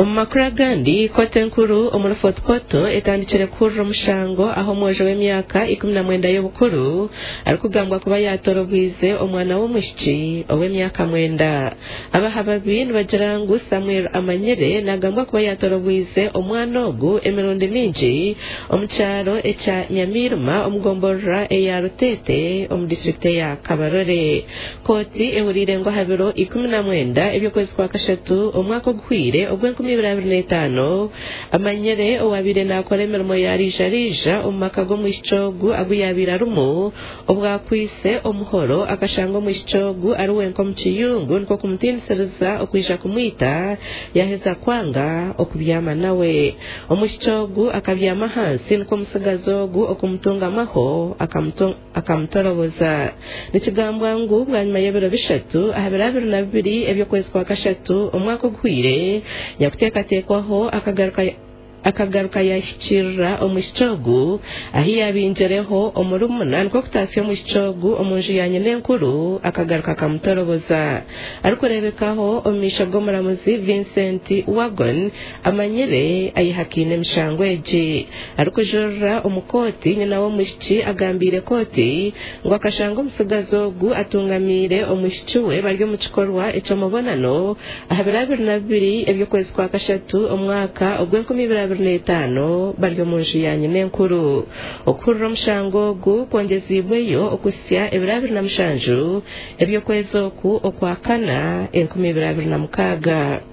Omu makuru agandi, kooti enkuru omuri Fort Portal etandikire kuhurira omushango ahu omwojo w'emyaka 19 y'obukuru arikugambwa kuba yaatorobwize omwana w'omwishiki ow'emyaka mwenda. Abahababi nibagira ngu Samuel Amanyire nagambwa kuba yaatorobwize omwana ogu emirundi mingi omu kyaro ekya Nyamirima omu gomborora eya Rutete omu disiturikiti eya Kabarole. Kooti ehuriire ngu aha biro 19 eby'okwezi kwa kashatu omwaka oguhweire ogw'enkumibiri abiri n'etaano, Amanyire owaabaire naakora emirimo ya riija-riija omu maka g'omwishiki ogu agu yaabaire arimu, obwakwise omuhoro akashanga omwishiki ogu ari wenka omu kiyungu, nikwo kumutiinisiriza okwija kumwita yaheza kwanga okubyama nawe. Omwishiki ogu akabyama ahansi, nikwo omutsigazi ogu okumutungamaho akamutoroboza. Nikigambwa ngu bwanyima y'ebiro 3, aha biro 22 eby'okwezi kwa kashatu omwaka oguhweire, nyakuteekateekwaho akagaruka yahikirira omwishiki ogu ahi yabingireho omurumuna, nikwo kutaasya omwishiki ogu omu nju ya nyina enkuru akagaruka akamutoroboza. Arikureebekaho omu maisho g'omuramuzi Vincent Wagon, Amanyire ayehakaine emishango egi. Arikujurira omu kooti, nyina w'omwishiki agambiire kooti ngu akashanga omutsigazi ogu atungamiire omwishiki we bari omu kikorwa eky'omubonano aha biro 22 eby'okwezi kwa kashatu omwaka ogw'enkumibiri abiri n'etaano bari omu nju ya nyina enkuru. Okuhurira omushango ogu kwongeziibweyo okuhitsya ebiro 27 eby'okwezi oku okwa kana 2026.